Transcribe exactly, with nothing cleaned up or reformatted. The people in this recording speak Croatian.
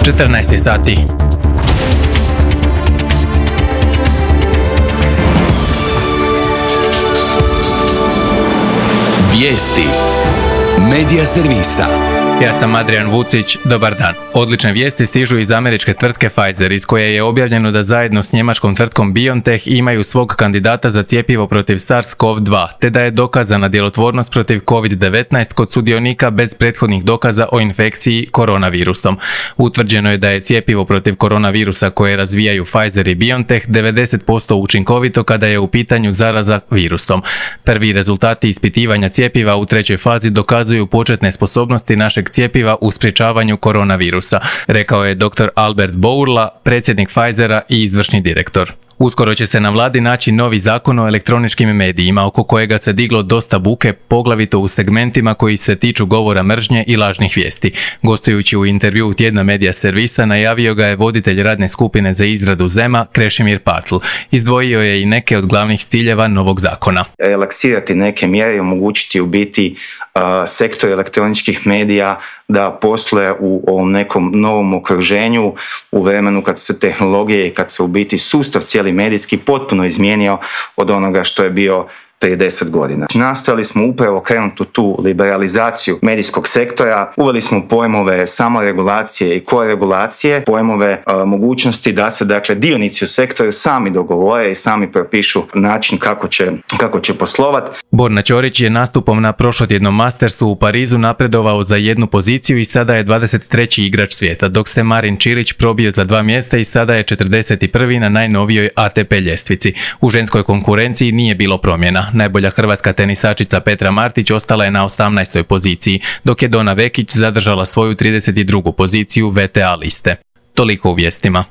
četrnaest sati. Vijesti Medija servisa. Ja sam Adrian Vucić, dobar dan. Odlične vijesti stižu iz američke tvrtke Pfizer, iz koje je objavljeno da zajedno s njemačkom tvrtkom BioNTech imaju svog kandidata za cjepivo protiv SARS-CoV dva, te da je dokazana djelotvornost protiv kovid devetnaest kod sudionika bez prethodnih dokaza o infekciji koronavirusom. Utvrđeno je da je cjepivo protiv koronavirusa koje razvijaju Pfizer i BioNTech devedeset posto učinkovito kada je u pitanju zaraza virusom. Prvi rezultati ispitivanja cjepiva u trećoj fazi dokazuju početne sposobnosti našeg cjepiva u sprječavanju koronavirusa, rekao je doktor Albert Bourla, predsjednik Pfizera i izvršni direktor. Uskoro će se na vladi naći novi zakon o elektroničkim medijima, oko kojega se diglo dosta buke, poglavito u segmentima koji se tiču govora mržnje i lažnih vijesti. Gostujući u intervjuu Tjedna medija servisa, najavio ga je voditelj radne skupine za izradu zema, Krešimir Partl. Izdvojio je i neke od glavnih ciljeva novog zakona. Relaksirati neke mjere i omogućiti u biti uh, sektor elektroničkih medija da posluje u ovom nekom novom okruženju, u vremenu kad su tehnologije i kad se u biti sustav cijeli medijski potpuno izmijenio od onoga što je bio prije deset godina. Nastojali smo upravo krenuti u tu liberalizaciju medijskog sektora, uveli smo pojmove samoregulacije i koregulacije, pojmove a, mogućnosti da se dakle dionici u sektoru sami dogovore i sami propišu način kako će, kako će poslovati. Borna Ćorić je nastupom na prošlotjednom Mastersu u Parizu napredovao za jednu poziciju i sada je dvadeset treći igrač svijeta, dok se Marin Čilić probio za dva mjesta i sada je četrdeset prvi na najnovijoj A T P ljestvici. U ženskoj konkurenciji nije bilo promjena. Najbolja hrvatska tenisačica Petra Martić ostala je na osamnaestoj poziciji, dok je Dona Vekić zadržala svoju trideset drugu poziciju V T A liste. Toliko u vijestima.